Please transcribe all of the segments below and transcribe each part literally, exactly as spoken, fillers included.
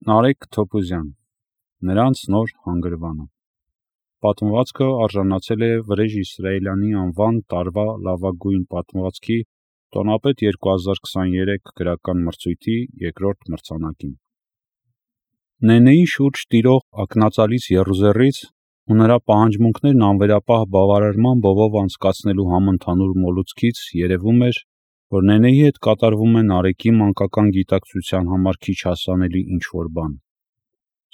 Նարեկ Թոփուզյան, նրանց նոր հանգրվանը։ Պատմվածքը արժանացել է Վրեժ Իսրայելյանի անվան տարվա լավագույն պատմվածքի տոնապետ երկու հազար քսաներեք գրական մրցույթի երկրորդ մրցանակին։ Նենեի շուրջ տիրող ակնածալից եռուզեռից ու նրա պահանջմունքներն անվերապահ բավարարման բովով անցկացնելու համընդհանուր մոլուցքից երևում էր, որ Նենեի հետ կատարվում է Նարեկի մանկական գիտակցության համար քիչ հասանելի ինչ-որ բան։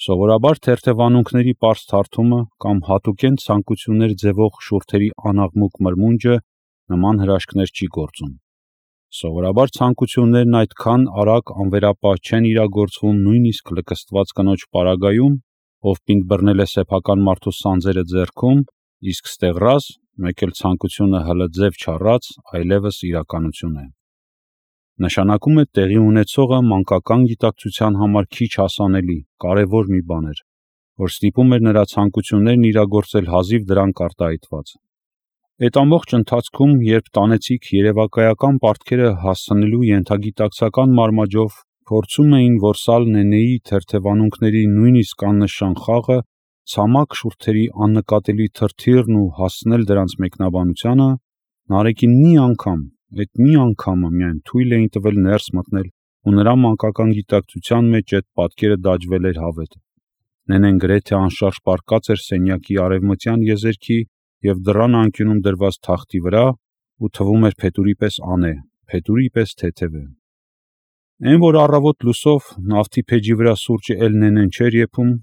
Սովորաբար թերթևանունքների պարզ թարթումը կամ հատուկեն ցանկություններ ձևող շուրթերի անաղմուկ մրմունջը նման հրաշքներ չի գործում։ Սովորաբար ցանկություններն այդքան արագ անվերապահ չեն իրագործվում նույնիսկ լկստված կնոջ պարագայում, ով պինդ բռնել է սեփական մարդու սանձերը ձեռքում, իսկ ստեղռած, մեկ էլ ցանկությունը հլը ձև չառած, այլևս իրականություն է։ Նշանակում է տեղի ունեցողը մանկական գիտակցության համար քիչ հասանելի, կարևոր մի բան էր, որ ստիպում էր նրա ցանկություններն իրագործել հազիվ դրանք արտահայտված։ Այդ ամբողջ ընթացքում, երբ տանեցիք երևակայական պարտքերը հասցնելու ենթագիտակցական մարմաճով փորձում էին որսալ Նենեի թերթևանունքների նույնիսկ աննշան խաղը, ցամաք շուրթերի աննկատելի թրթիռն ու հասցնել դրանց մեկնաբանությանը, Նարեկին մի անգամ, այդ մի անգամը միայն թույլ էին տվել ներս մտնել ու նրա մանկական գիտակցության մեջ այդ պատկերը դաջվել էր հավետ։ Նենեն գրեթե անշարժ պառկած էր սենյակի արևմտյան եզերքի և դռան անկյունում դրված թախտի վրա ու թվում էր փետուրի պես անե, փետուրի պես թեթև է։ Էն որ առավոտ լուսով նավթի փեջի վրա սուրճը էլ Նենեն չէր եփում,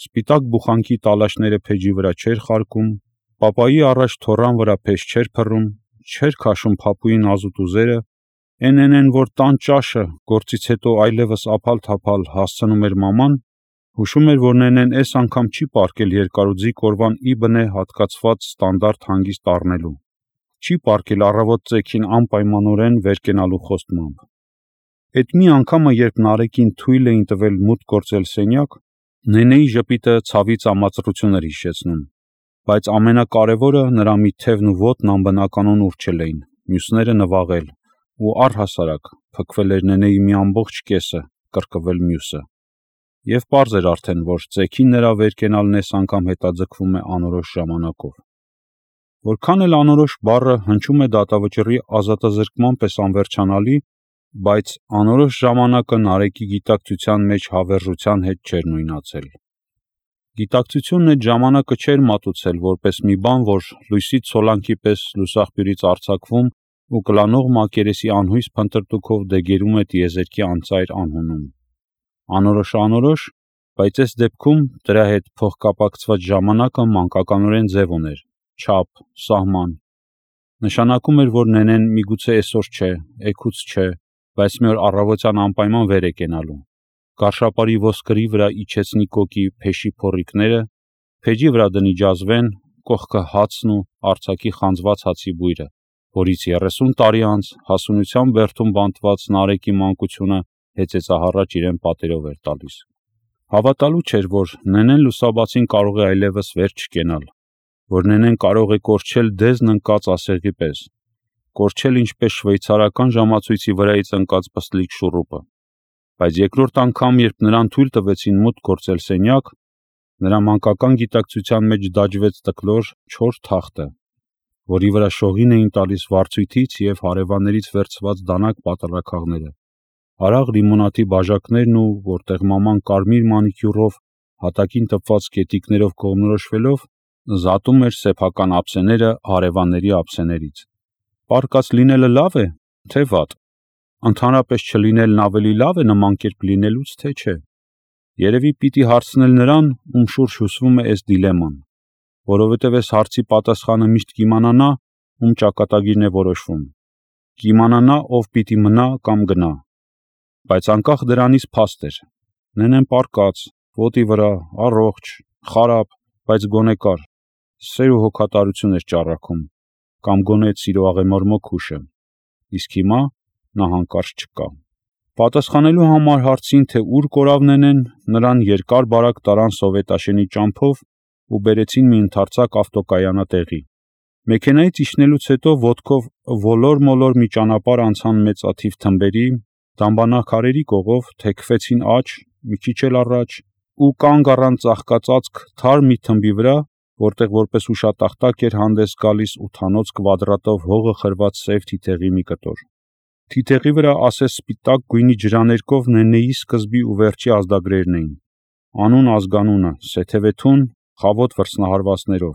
սպիտակ բուխանքի տալաշները փեջի վրա չէր խարկում, պապայի առաջ թոռան վրա փեշ չէր փռում, չէր քաշում փափուի նազուտ ուզերը, էն Նենեն, որ տան ճաշը գործից հետո այլևս ափալ-թափալ հասցնում էր մաման, հուշում էր, որ Նենեն էս անգամ չի պառկել երկարուձիգ օրվան ի բնե հատկացված ստանդարտ հանգիստ առնելու, չի պառկել առավոտ ծեքին անպայմանորեն վեր կենալու խոստմամբ։ Էդ մի անգամը, երբ Նարեկին թույլ էին տվել մուտք գործել սենյակ, Նենեի ժպիտը ցավից ամացռություն էր հիշեցնում, բայց ամենակարևորը նրա մի թևն ու ոտն անբնականon ուռչել էին, մյուսները նվաղել, ու առհասարակ փքվել էր Նենեի մի ամբողջ կեսը, կրկվել մյուսը։ Եվ պարզ էր արդեն, որ ծեքին նրա վեր կենալն էս անգամ հետաձգվում է անորոշ ժամանակով։ Որքան էլ անորոշ բառը հնչում է դատավճռի ազատազրկման պես անվերջանալի, բայց անորոշ ժամանակը Նարեկի գիտակցության մեջ հավերժության հետ չէր նույնացել։ Գիտակցությունն այդ ժամանակը չէր մատուցել որպես մի բան, որ լույսի ցոլանքի պես լուսաղբյուրից արձակվում ու կլանող մակերեսի անհույս փնտրտուքով դեգերում է տիեզերքի անծայր անհունում։ Անորոշը անորոշ, բայց այս դեպքում դրա հետ փոխկապակցված ժամանակը մանկականորեն ձև ուներ, չափ, սահման։ Նշանակում էր, որ Նենեն միգուցե այսօր չէ, էգուց չէ, բայց մի օր առավոտյան անպայման վեր է կենալու։ Գարշապարի ոսկրի վրա իջեցնի կոկի փեշի փոռիկները, փեջի վրա դնի ջազվեն, կողքը հացն ու արձակի խանձված հացի բույրը, որից երեսուն տարի անց հասունության բերդում բանտված Նարեկի մանկությունը հեծեծահառաջ իրեն պատերով էր տալիս։ Հավատալու չէր, որ Նենեն լուսաբացին կարող է այլևս վեր չկենալ, որ Նենեն կարող է կորչել դեզն ընկած ասեղի պես, կորչել ինչպես շվեյցարական ժամացույցի վրայից ընկած պստլիկ շուռուպը։ Բայց երկրորդ անգամ, երբ նրան թույլ տվեցին մուտք գործել սենյակ, նրա մանկական գիտակցության մեջ դաջվեց տկլոր, չոր թախտը, որի վրա շողին էին տալիս վարձույթից և հարևաններից վերցված դանակ պատառաքաղները, հարաղ լիմոնադի բաժակներն ու, որտեղ մաման կարմիր մանիկյուրով, հատակին տպված կետիկներով կողմնորոշվելով, զատում էր սեփական ափսեները հարևանների ափսեներից։ Պառկած լինելը լավ է, թե վատ։ Ընդհանրապես չլինելն ավելի լավ է նման կերպ լինելուց, թե չէ։ Երևի պիտի հարցնել նրան, ում շուրջ հյուսվում է այս դիլեման, որովհետև այս հարցի պատասխանը միշտ կիմանա նա, ում ճակատագիրն է որոշվում։ Կիմանա նա, ով պիտի մնա կամ գնա։ Բայց անկախ դրանից փաստ էր։ Նենեն պառկած, ոտի վրա, առողջ, խարապ, բայց գոնե կար, սեր ու հոգատարություն էր ճառագում, կամ գոնե այդ սիրո աղեմորմոք հուշը։ Իսկ հիմա նա հանկարծ չկա։ Պատասխանելու համար հարցին, թե ուր կորավ Նենեն, նրան երկար-բարակ տարան սովետաշենի ճամփով ու բերեցին մի ընդարձակ ավտոկայանատեղի։ Մեքենայից իջնելուց հետո ոտքով ոլոր-մոլոր մի ճանապարհ անցան մեծաթիվ թմբերի, դամբարանաքարերի կողով, թեքվեցին աջ, մի քիչ էլ առաջ, ու կանգ առան ծաղկածածկ թարմ մի թմբի վրա, որտեղ որպես հուշատախտակ էր հանդես գալիս ութանոց կվադրատով հողը խրված սև թիթեղի մի կտոր։ Թիթեղի վրա ասես սպիտակ գույնի ջրաներկով Նենեի սկզբի ու վերջի ազդագրերն էին։ Անուն ազգանունը, Սեթևեթուն, խավոտ վրձնահարվածներով։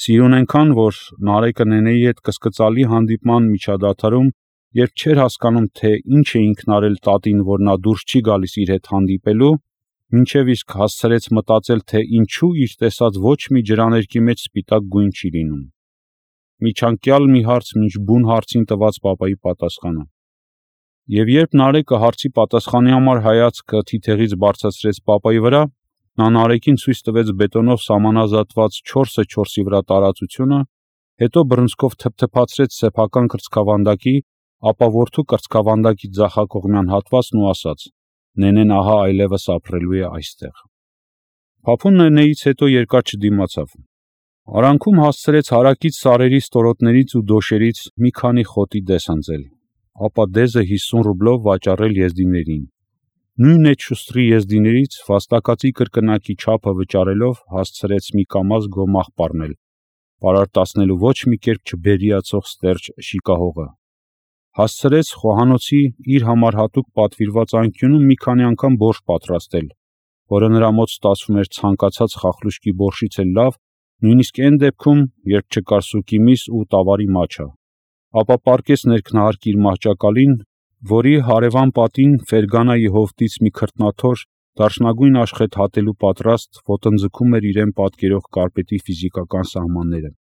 Սիրուն այնքան, որ Նարեկը Նենեի հետ կսկծալի հանդիպման միջադադարում, երբ չէր հասկանում, թե ինչ է ինքն արել տատին, որ նա դուրս չի գալիս իր հետ հանդիպելու, մինչև իսկ հասցրեց մտածել, թե ինչու իր տեսած ոչ մի ջրաներկի մեջ սպիտակ գույն չի լինում։ Միջանկյալ մի հարց մինչ բուն հարցին տված պապայի պատասխանը։ Եվ երբ Նարեկը հարցի պատասխանի համար հայացքը թիթեղից բարձրացրեց պապայի վրա, նա Նարեկին ցույց տվեց բետոնով սահմանազատված չորսը չորսի վրա տարածությունը, հետո բռնցքով թփթփացրեց սեփական կրծքավանդակի, ապա որդու կրծքավանդակի ձախակողմյան հատվածն ու ասաց. Նենեն ահա այլևս ապրելու է այստեղ։ Փափուն Նենեից հետո երկար չդիմացավ։ Արանքում հասցրեց հարակից սարերի ստորոտներից ու դոշերից մի քանի խոտի դես հնձել, ապա դեզը հիսուն ռուբլով վաճառել եզդիներին։ Նույն այդ շուստրի եզդիներից վաստակածի կրկնակի չափը վճարելով հասցրեց մի կամազ գոմաղ պառնել, պարարտացնելու ոչ մի կերպ չբերիացող ստերջ շիկահողը։ Հասցրեց խոհանոցի իր համար հատուկ պատվիրված անկյունում մի քանի անգամ բորշ պատրաստել, որը նրա մոտ ստացվում էր ցանկացած խախլուշկի բորշից էլ լավ, նույնիսկ այն դեպքում, երբ չկար սուկի միս ու տավարի մաչա, ապա պառկեց ներքնահարկի իր մահճակալին, որի հարևան պատին Ֆերգանայի հովտից մի քրտնաթոր դարչնագույն աշխեթ հատելու պատրաստ ոտնձգում էր իրեն պատկերող կարպետի ֆիզիկական սահմանները։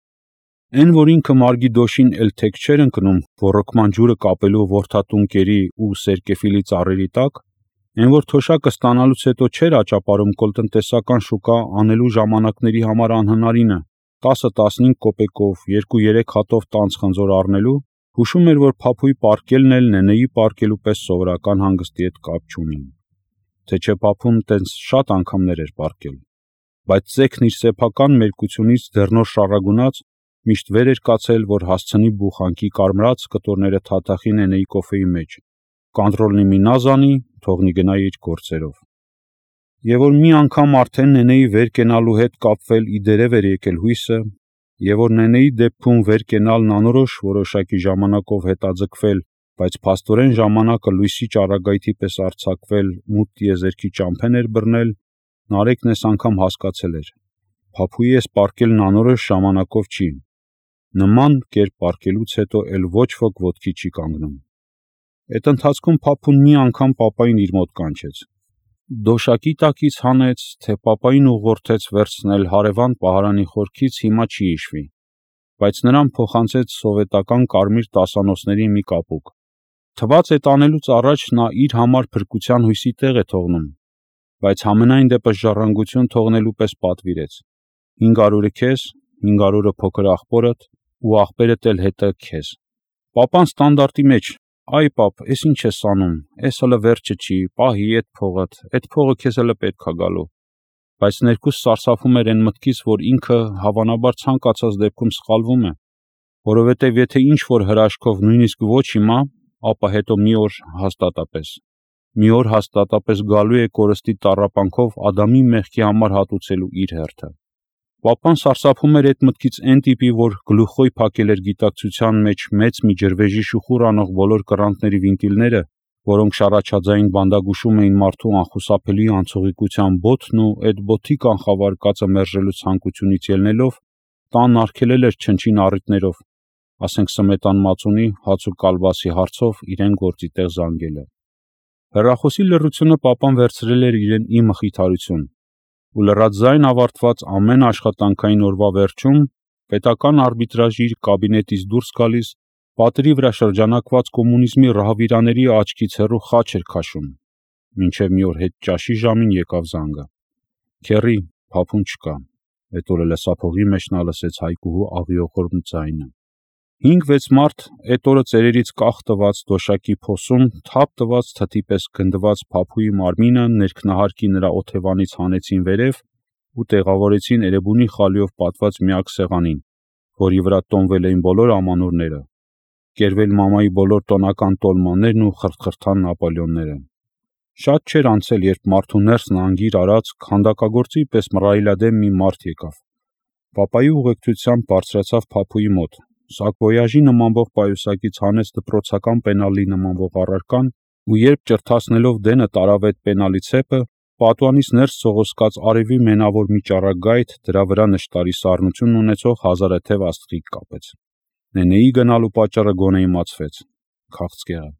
Այն, որ ինքը մարգի դոշին էլ թեք չէր ընկնում ոռոգման ջուրը կապելու որդատուն կերի ու սերկեֆիլի ծառերի տակ, այն, որ թոշակը ստանալուց հետո չէր աճապարում կոլտնտեսական շուկա անելու ժամանակների համար անհնարինը տասը-տասնհինգ կոպեկով երկու-երեք հատով տանձ խնձոր առնելու, հուշում էր, որ Փափուի պառկելն էլ Նենեի պառկելու պես սովորական հանգստի հետ կապ չունի։ Թե չէ Փափուն տենց շատ անգամներ էր պառկել, բայց ձեքն իր սեփական մերկությունից դեռ նոր շառագունած միշտ վեր էր կացել, որ հասցնի բուխանքի կարմրած կտորները թաթախի Նենեի կոֆեի մեջ, կանտրոլնի մի նազանի, թողնի գնա իր գործերով։ Եվ որ մի անգամ արդեն Նենեի վեր կենալու հետ կապվել իդերև էր եկել հույսը, եւ որ Նենեի դեպքում վեր կենալն անորոշ որոշակի ժամանակով հետաձգվել, բայց փաստորեն ժամանակը լույսի ճառագայթի պես արձակվել մութ տիեզերքի ճամփեն էր բռնել, Նարեկն այս անգամ հասկացել էր. Փափուի էս պառկելն անորոշ ժամանակով չի։ Նման կերպ պառկելուց հետո էլ ոչ ոք ոտքի չի կանգնում։ Այդ ընթացքում Փափուն մի անգամ պապային իր մոտ կանչեց։ Դոշակի տակից հանեց, թե պապային ուղղորդեց վերցնել հարևան պահարանի խորքից հիմա չի հիշվի, բայց նրան փոխանցեց սովետական կարմիր տասանոցների մի կապուկ։ Թված այդ անելուց առաջ նա իր համար փրկության հույսի տեղ է թողնում, բայց համենայն դեպս ժառանգություն թողնելու պես պատվիրեց. հինգ հարյուրը քեզ, հինգ հարյուրը փոքր աղբորդ ու աղբերդ էլ հետը քեզ։ Պապան ստանդարտի մեջ. Այ պապ, էս ինչ ես անում, էս հələ վերջը չի, պահի այդ փողդ, այդ փողը քեզ հələ պետք է գալու։ Բայց ներքուս սարսափում էր այն մտքից, որ ինքը հավանաբար ցանկացած դեպքում սխալվում է, որովհետև եթե ինչ որ հրաշքով նույնիսկ ոչ հիմա, ապա հետո մի օր հաստատապես։ Մի օր հաստատապես գալու է կորստի տառապանքով Ադամի մեղքի համար հատուցելու իր հերթը։ Պապան սարսափում էր այդ մտքից այն տիպի, որ գլուխոյ փակել էր գիտակցության մեջ մեծ մի ջրվեժի շուխուր անող բոլոր կռանտների վինտիլները, որոնք շառաչաձային բանդագուշում էին մարդու անխուսափելի անցողիկության բոթն ու այդ բոթի կանխավարկածը մերժելու ցանկությունից ելնելով, տան արգելել էր չնչին առիթներով, ասենք սմետան մածունի, հաց ու կալվածի հարցով իրեն գործի տեղ զանգելը։ Հեռախոսի լռությունը պապան վերցրել էր իրեն ի մխիթարություն, ու լռած ձայն ավարտված ամեն աշխատանքային օրվա վերջում պետական արբիտրաժի իր կաբինետից դուրս գալիս պատերի վրա շրջանակված կոմունիզմի ռահվիրաների աչքից հեռու խաչ էր քաշում, մինչև մի օր հետ ճաշի ժամին եկավ զանգը։ Քեռի, Փափուն չկա։ Այդ օրը լսափողի մեջ նա լսեց Հայկուհու աղիողորմ ձայնը։ Հինգ-վեց մարդ այդ օրը ծերերից կախ տված դոշակի փոսում թափ տված թթի պես գնդված Փափուի մարմինը ներքնահարկի նրա օթևանից հանեցին վերև ու տեղավորեցին Էրեբունի խալիով պատված միակ սեղանին, որի վրա տոնվել էին բոլոր ամանորները, կերվել մամայի բոլոր տոնական տոլմաններն ու խրթխրթան Նապոլեոնները։ Շատ չէր անցել, երբ մարդու ներսն անգիր արած քանդակագործի պես մռայլադեմ մի մարդ եկավ։ Պապայի ուղեկցությամբ բարձրացավ Փափուի մոտ։ Սակվոյաժի նմանվող պայուսակից հանեց դպրոցական պենալի նմանվող առարկան, ու երբ ճրթացնելով դենը տարավ այդ պենալի ցեպը, պատուանից ներս սողոսկած արևի մենավոր մի ճառագ գայթ դրա վրա նշտարի սառնություն ունեցող հազարաթև աստղիկ կապեց։ Նենեի գնալու պատճառը գոնե իմացվեց։ Քաղցկեղը։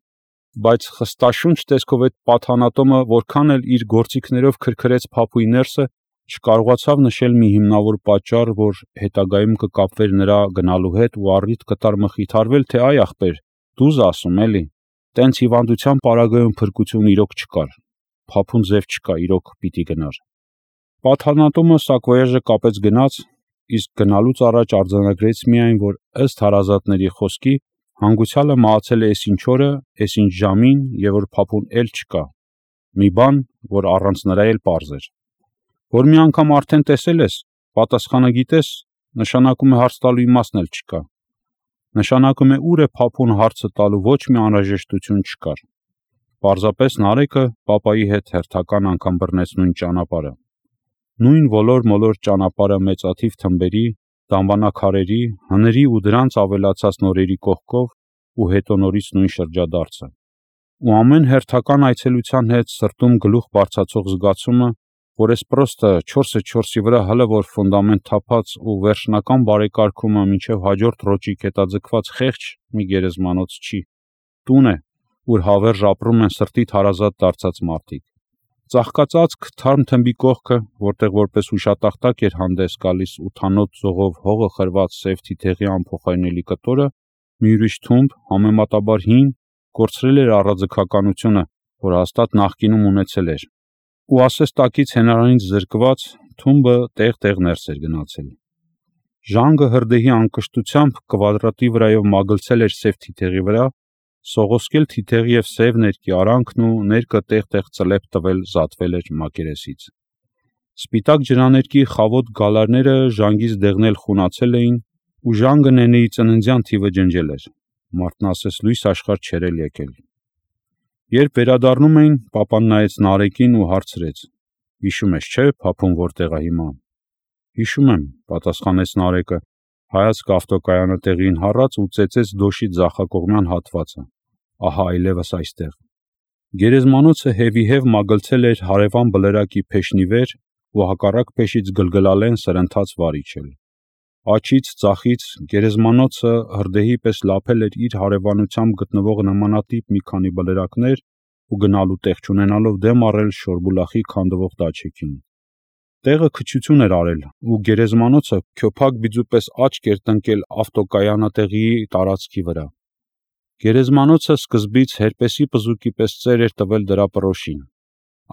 Բայց խստաշունչ տեսքով այդ պատանատոմը որքան էլ իր գործիքներով քրքրեց Փափուի ներսը, չկարողացավ նշել մի հիմնավոր պատճառ, որ հետագայում կկապվեր նրա գնալու հետ ու առիթ կտար մխիթարվել, թե այ ախպեր, դուզ ասում էլի, տենց հիվանդության պարագայում փրկություն իրոք չկար, Փափուն ձև չկա, իրոք պիտի գնար։ Պատանատոմը սակվոյաժը կապեց գնաց, իսկ գնալուց առաջ արձանագրեց միայն, որ ըստ հարազատների խոսքի հանգուցյալը մահացել է էսինչ օրը, էսինչ ժամին և որ Փափուն էլ չկա։ Մի բան, որ առանց նրա էլ պարզ էր։ Որ մի անգամ արդեն տեսել ես, պատասխանը գիտես, նշանակում է հարց տալու իմաստն էլ չկա։ Նշանակում է ուր է Փափուն հարցը տալու ոչ մի անհրաժեշտություն չկար։ Պարզապես Նարեկը պապայի հետ հերթական անգամ բռնեց նույն ճանապարհը։ Նույն ոլոր-մոլոր ճանապարհը մեծաթիվ թմբերի, դամբանակարերի, հների ու դրանց ավելացած նորերի կողքով ու հետո նորից նույն շրջադարձը։ Ու ամեն հերթական այցելության հետ սրտում գլուխ բարձրացող զգացումը, որ էս պրոստը չորսը չորսի վրա հլը որ ֆունդամենտ թափած ու վերջնական բարեկարգումը մինչև հաջորդ ռոճիկ հետաձգված խեղճ մի գերեզմանոց չի։ Տուն է, ուր հավերժ ապրում են սրտիդ հարազատ դարձած մարդիկ։ Ծաղկածածկ թարմ թմբի կողքը, որտեղ որպես հուշատախտակ էր հանդես գալիս ութանոթ զողով հողը խրված սև թիթեղի անփոխարինելի կտորը, մի ուրիշ թումբ, համեմատաբար հին, կորցրել էր առաձգականությունը, որ հաստատ նախկինում ունեցել էր։ Ու ասես տակից հենարանից զրկված, թումբը տեղ-տեղ ներս էր գնացել։ Ժանգը հրդեհի անկշտությամբ կվադրատի վրայով մագլցել էր սև թիթեղի վրա, սողոսկել թիթեղի և սև ներկի արանքն ու ներկը տեղ-տեղ ծլեպ տվել զատվել էր մակերեսից։ Սպիտակ ջրաներկի խավոտ գալարները ժանգից դեղնել խունացել էին, ու ժանգը նենեի ծննդյան թիվը ջնջել էր։ Մարդն ասես լույս աշխարհ չէր էլ եկել։ Երբ վերադառնում էին, պապան նայեց Նարեկին ու հարցրեց. «Հիշում ես, չէ՞, Փափուն որտեղ է հիմա»։ «Հիշում եմ», պատասխանեց Նարեկը, հայացքը ավտոկայանը տեղին հառած ու ծեծեց դոշի ձախակողմյան հատվածը։ Ահա այլևս այստեղ։ Գերեզմանոցը հևիհև մագլցել էր հարևան բլրակի փեշնի վեր ու հակառակ փեշից գլգլալեն սրընթաց վար իջել։ Աջից, ձախից գերեզմանոցը հրդեհի պես լափել էր իր հարևանությամբ գտնվող նմանատիպ մի քանի բլրակներ ու գնալու տեղ չունենալով դեմ առել Շորբուլախի քանդվող դաչեկին։ Տեղը քչություն էր արել, ու գերեզմանոցը քյոփակ բիձու պես աչք էր տնկել ավտոկայանատեղիի տարածքի վրա։ Գերեզմանոցը սկզբից հերպեսի պզուկի պես ծեր էր տվել դրա պրոշին,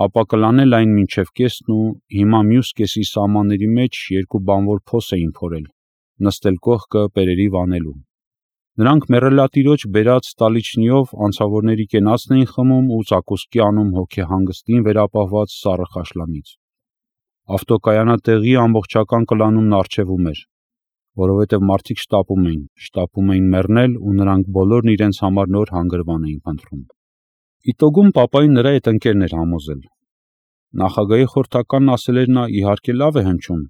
ապա կլանել այն մինչև կեսն ու հիմա մյուս կեսի սահմանների մեջ երկու բանվոր փոս էին փորել, նստել կողքը պերերի վանելու։ Նրանք մեռելատիրոջ բերած ստալիչնիով անցավորների կենացն էին խմում ու ծակոսկի անում հոգեհանգստին վերապահված սառը խաշլամից։ Ավտոկայանատեղիի ամբողջական կլանումն առջևում էր, որովհետև մարդիկ շտապում էին, շտապում էին մեռնել ու նրանք բոլորն իրենց համար նոր հանգրվան էին փնտրում։ Իտոգում պապային նրա հետ ընկերն էր համոզել։ Նախագահի խորհրդականն ասել էր նա իհարկե լավ է հնչում,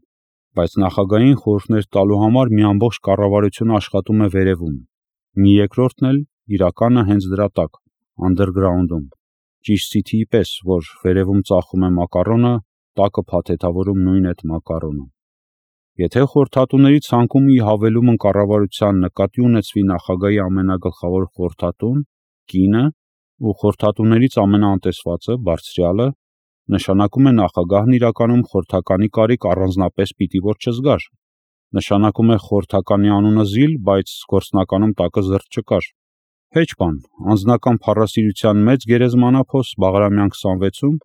բայց նախագահին խորհուրդներ տալու համար մի ամբողջ կառավարություն աշխատում է վերևում, մի երկրորդն էլ իրականը հենց դրա տակ, անդերգրաունդում, ճիշտ Սիթիի պես, որ վերևում ծախում է մակարոնը, տակը փաթեթավորում նույն այդ մակարոնը։ Եթե խորհրդատուների ցանկում ի հավելումն կառավարության նկատի ունեցվի նախագահի ամենագլխավոր խորհրդատուն, կինը ու խորհրդատուներից ամենաանտեսվածը, բարձրյալը, նշանակում է նախագահն իրականում խորհրդականի կարիք առանձնապես պիտի որ չզգար։ Նշանակում է խորհրդականի անունը զիլ, բայց գործնականում տակը զրծ չկար։ Հեչ բան, անձնական փառասիրության մեծ գերեզմանափոս Բաղրամյան քսանվեցում,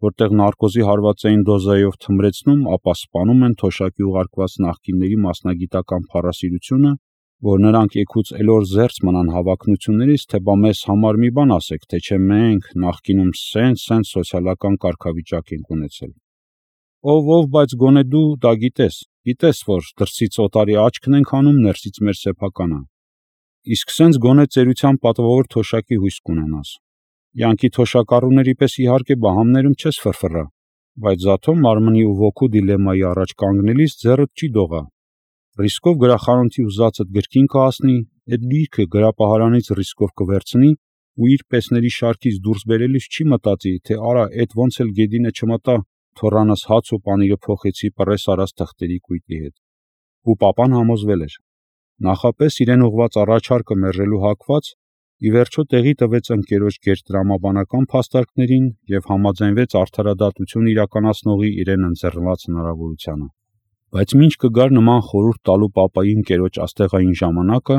որտեղ նարկոզի հարվածային դոզայով թմրեցնում, ապա սպանում են թոշակի ուղարկված նախկինների մասնագիտական փառասիրությունը, որ նրանք եկուց էլոր զերծ մնան հավակնություններից, թե բա մեզ համար մի բան ասեք, թե չէ մենք նախկինում սենց-սենց սոցիալական կարգավիճակ ենք ունեցել։ Ով ով, բայց գոնե դու դա գիտես, գիտես, որ դրսից օտարի աչքն ենք անում, ներսից մեր սեփականը։ Իսկ սենց գոնե ծերության պատվավոր թոշակի հույս կունենաս։ Յանքի թոշակառուների պես իհարկե բահամներում չես ֆրֆռա, բայց զաթո մարմնի ու ոգու դիլեմայի առաջ կանգնելիս ձեռդ չի դողա։ Ռիսկով գրախանութի ուզածդ գրքին կհասնի, այդ գիրքը գրապահարանից ռիսկով կվերցնի ու իր պեսների շարքից դուրս բերելիս չի մտածի, թե արա այդ ոնց էլ գեդինը չմտա, թոռանս հաց ու պանիրը փոխեցի պռես արած թղթերի կույտի հետ։ Ու պապան համոզվել էր։ Նախապես իրեն ուղված առաջարկը մերժելու հակված, ի վերջո տեղի տվեց ընկերոջ գերտրամաբանական փաստարկներին և համաձայնվեց արդարադատություն իրականացնողի իրեն ընձեռնված հնարավորությանը։ Բայց մինչ կգար նման խորհուրդ տալու պապայի ընկերոջ աստեղային ժամանակը,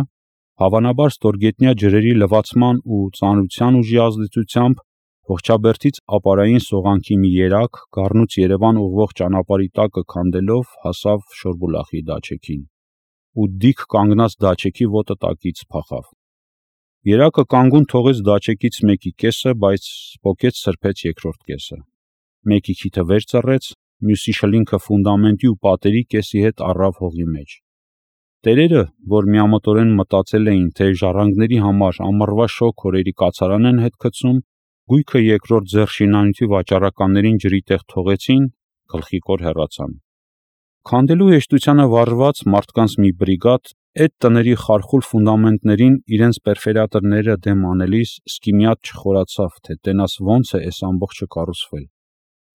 հավանաբար ստորգետնյա ջրերի լվացման ու ծանրության ուժի ազդեցությամբ Ողջաբերդից ապարային սողանքի մի երակ Գառնուց Երևան ուղղող ճանապարհի տակը քանդելով հասավ Շորբուլախի դաչեկին ու դիք կանգնած դաչեկի ոտը տակից փախավ։ Երակը կանգուն թողեց դաչեկից մեկի կեսը, բայց սփոքեց սրբեց երկրորդ կեսը։ Մեկի քիթը վեր ծռեց, մյուսի շլինքը ֆունդամենտի ու պատերի կեսի հետ առավ հողի մեջ։ Տերերը, որ միամտորեն մտածել էին, թե ժառանգների համար ամառվա շոգ օրերի կացարան են հետ գցում, գույքը երկրորդ ձեռ շինանյութի վաճառականներին ջրի տեղ թողեցին, գլխիկոր հեռացան։ Քանդելու հեշտությանը վարժված մարդկանց մի բրիգադ այդ տների խարխուլ ֆունդամենտներին իրենց պերֆորատորները դեմ անելիս սկիմյատ չխորացավ, թե տենաս ոնց է այս ամբողջը կառուցվել։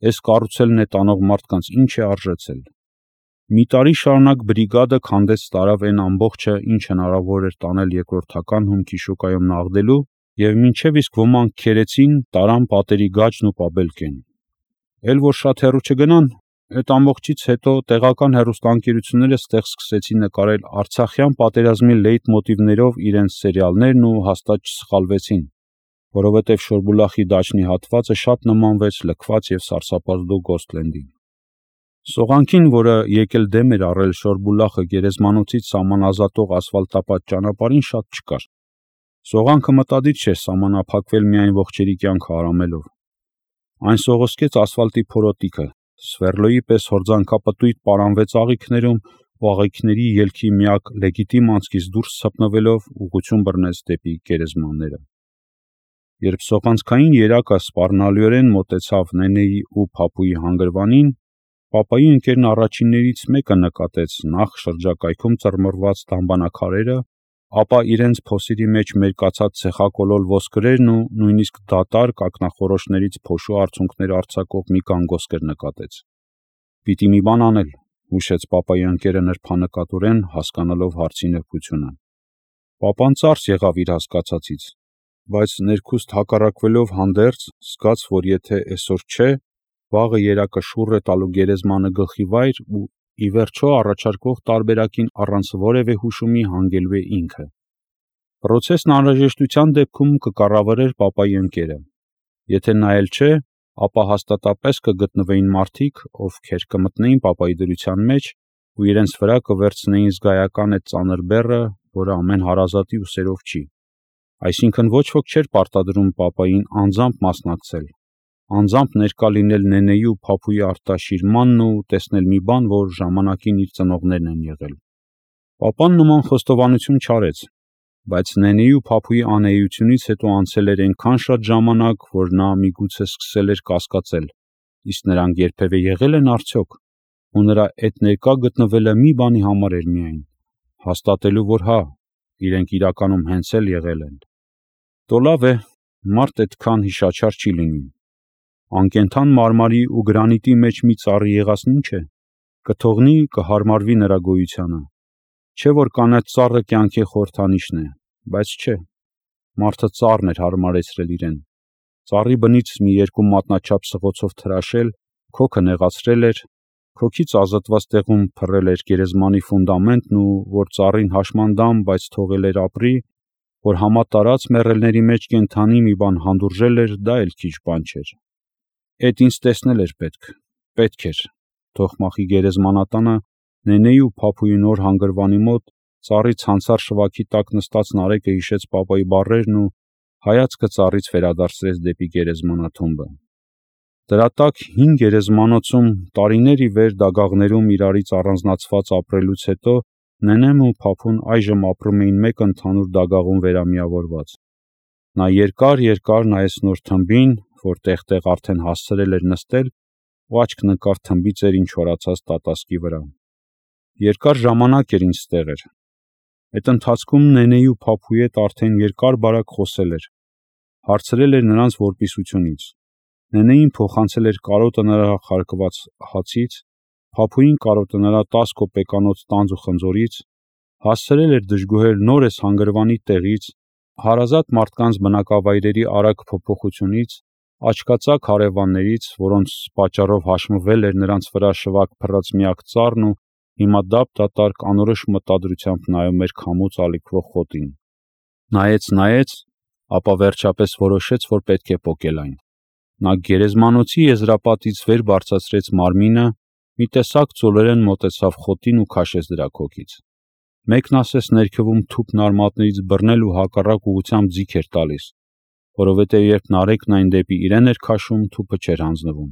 Այս կառուցելն է տանող մարդկանց ինչ է արժեցել։ Մի տարի շարունակ բրիգադը քանդեց տարավ այն ամբողջը, ինչ հնարավոր էր տանել երկրորդական հումքի շուկայում նաղդելու, և մինչև իսկ ոմանք քերեցին, տարան պատերի գաճն ու պաբելկեն։ Էլ որ շատ հեռու չգնան, այդ ամբողջից հետո տեղական հեռուստաընկերությունները ստեղ սկսեցին նկարել արցախյան պատերազմի լեյթմոտիվներով իրենց սերիալներն ու հաստատ չսխալվեցին, որովհետև Շորբուլախի դաչնի հատվածը շատ նմանվեց լքված և սարսափազդու Գոսթլենդին։ Սողանքին, որը եկել դեմ էր առել Շորբուլախը գերեզմանոցից սահմանազատող ասֆալտապատ ճանապարհին, շատ չկար։ Սողանքը մտադիր չէր սահմանափակվել միայն ողջերի կյանքը հարամելով։ Այն սողոսկեց ասֆալտի փորոտիքը, Սվերլոյի պես հորձանքապտույտ պարանվեց աղիքներում ու աղիքների ելքի միակ լեգիտիմ անցքից դուրս ցպնվելով ուղղություն բռնեց դեպի գերեզմանները։ Երբ սողանցքային երակը սպառնալիորեն մոտեցավ Նենեի ու Փափուի հանգրվանին, պապայի ընկերն առաջիններից մեկը նկատեց նախ շրջակայքում ծռմռված դամբանակարերը, ապա իրենց փոսերի մեջ մերկացած ցեխակոլոլ ոսկրերն ու նույնիսկ դատարկ ակնախորոշներից փոշու արցունքներ արձակող մի գանգոսկր նկատեց։ «Պիտի մի բան անել», հուշեց պապայի ընկերը նրբանկատորեն, հասկանալով հարցի նրբությունը։ Պապան ծարս եղավ իր հասկացածից, բայց ներքուստ հակառակվելով հանդերձ, զգաց, որ եթե էսօր չէ, վաղը երակը շուռ է տալու գերեզմանը գլխի վայր ու ի վերջո առաջարկվող տարբերակին առանց որևէ հուշումի հանգելու է ինքը։ Պրոցեսն անհրաժեշտության դեպքում կկառավարեր պապայի ընկերը։ Եթե նա էլ չէ, ապա հաստատապես կգտնվեին մարդիկ, ովքեր կմտնեին պապայի դրության մեջ ու իրենց վրա կվերցնեին զգայական այդ ծանր բեռը, որը ամեն հարազատի ուսերով չի։ Այսինքն ոչ ոք չէր պարտադրում պապային անձամբ մասնակցել, անձամբ ներկա լինել Նենեի ու Փափուի արտաշիրմանն ու տեսնել մի բան, որ ժամանակին իր ծնողներն են եղել։ Պապան նման խոստովանություն չարեց, բայց Նենեի ու Փափուի անեյությունից հետո անցել էր այնքան շատ ժամանակ, որ նա միգուցե սկսել էր կասկածել, իսկ նրանք երբևէ եղել են արդյոք, ու նրա այդ ներկա գտնվելը մի բանի համար էր միայն, հաստատելու, որ հա, իրենք իրականում հենց էլ եղել են։ Դո լավ է, մարդ այդքան հիշաչար չի լինում։ Անկենդան մարմարի ու գրանիտի մեջ մի ծառի եղածն ինչ է, կթողնի, կհարմարվի նրա գոյությանը։ Չէ որ կանաչ ծառը կյանքի խորհրդանիշն է, բայց չէ, մարդը ծառն էր հարմարեցրել իրեն։ Ծառի բնից մի երկու մատնաչափ սղոցով թրաշել, քոքը նեղացրել էր, քոքից ազատված տեղում փռել էր գերեզմանի ֆունդամենտն ու որ ծառին հաշմանդամ, բայց թողել էր ապրի, որ համատարած մեռելների մեջ կենդանի մի բան հանդուրժել էր, դա էլ քիչ բան չէր։ Էդ ինձ տեսնել էր պետք, պետք էր, թող մախի գերեզմանատանը Նենեի ու Փափուի նոր հանգրվանի մոտ ծառի ցանցառ շվաքի տակ նստած Նարեկը հիշեց պապայի բառերն ու հայացքը ծառից վերադարձրեց դեպի գերեզմանաթումբը։ Դրա տակ հին գերեզմանոցում տարիներ ի վեր դագաղներում իրարից առանձնացված ապրելուց հետո Նենեն ու Փափուն այժմ ապրում էին մեկ ընդհանուր դագաղում վերամիավորված։ Նա երկար-երկար նայեց նոր թմբին, որ տեղ-տեղ արդեն հասցրել էր նստել, ու աչքն ընկավ թմբի ծերին չորացած տատասկի վրա։ Երկար ժամանակ էր ինչ ստեղ էր։ Այդ ընթացքում Նենեի ու Փափուի հետ արդեն երկար-բարակ խոսել էր, հարցրել էր նրանց որպիսությունից։ Նենեին փոխանցել էր կարոտը նրա խարկված հացից, Փափուին կարոտը նրա տաս կոպեկանոց տանձ ու խնձորից, հասցրել էր դժգոհել նորես հանգրվանի տեղից, հարազատ մարդկանց բնակավայրերի արագ փոփոխությունից, աչքածակ հարևաններից, որոնց պատճառով հաշմվել էր նրանց վրա շվակ փռած միակ ծառն ու հիմա դափ-դատարկ անորոշ մտադրությամբ նայում էր քամուց ալիքվող խոտին։ Նայեց, նայեց, ապա վերջապես որոշեց, որ պետք է պոկել այն։ Նա գերեզմանոցի եզրապատից վեր բարձրացրեց մարմինը, մի տեսակ ծոլերեն մոտեցավ խոտին ու քաշեց դրա քոքից։ Մեկն ասես ներքևում թուփն արմատներից բռնել ու հակառակ ուղղությամբ ձիգ էր տալիս, որովհետև երբ Նարեկն այն դեպի իրեն էր քաշում, թուփը չէր հանձնվում։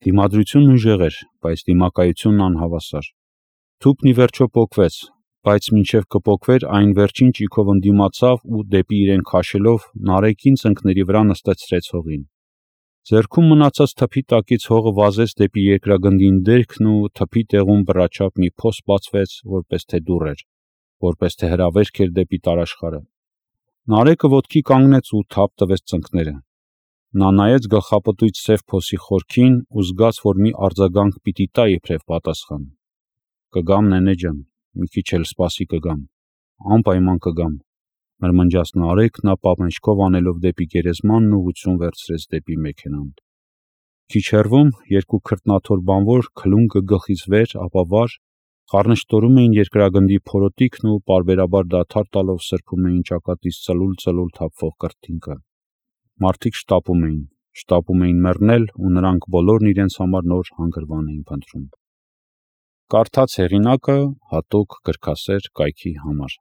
Դիմադրությունն ուժեղ էր, բայց դիմակայությունն անհավասար։ Թուփն ի վերջո պոկվեց, բայց մինչև կպոկվեր այն վերջին ճիգով ընդդիմացավ ու դեպի իրեն քաշելով Նարեկին ծնկների վրա նստեցրեց հողին։ Ձեռքում մնացած թփի տակից հողը վազեց դեպի երկրագնդին դերքն ու թփի տեղում բռաչապ մի փոս բացվեց, որպես թե դուռ էր, որպես թե հրավերք էր դեպի տարաշխարը։ Նարեկը ոտքի կանգնեց ու թափ տվեց ծնկները։ Նա նայեց գլխապտույտ սև փոսի խորքին ու զգաց, որ մի արձագանք պիտի տա իբրև պատասխան։ «Կգամ, Նենե ջան, մի քիչ էլ սպասի կգամ, անպայման կգամ», մրմնջաց Նարեկն, ապա մեջքով անելով դեպի գերեզմանն ուղղություն վերցրեց դեպի մեքենան։ Քիչ հեռվում երկու քրտնաթոր բանվոր քլունկը գլխից վեր, ապա վար, խառնշտորում էին երկրագնդի փորոտիքն ու պարբերաբար դադար տալով սրբում էին ճակատից ծլուլ-ծլուլ թափվող կրթինքը։ Մարդիկ շտապում էին, շտապում էին մեռնել ու նրանք բոլորն իրենց համար նոր հանգրվան էին փնտրում։ Կարդաց հեղինակը հատուկ գրքասեր կայքի համար։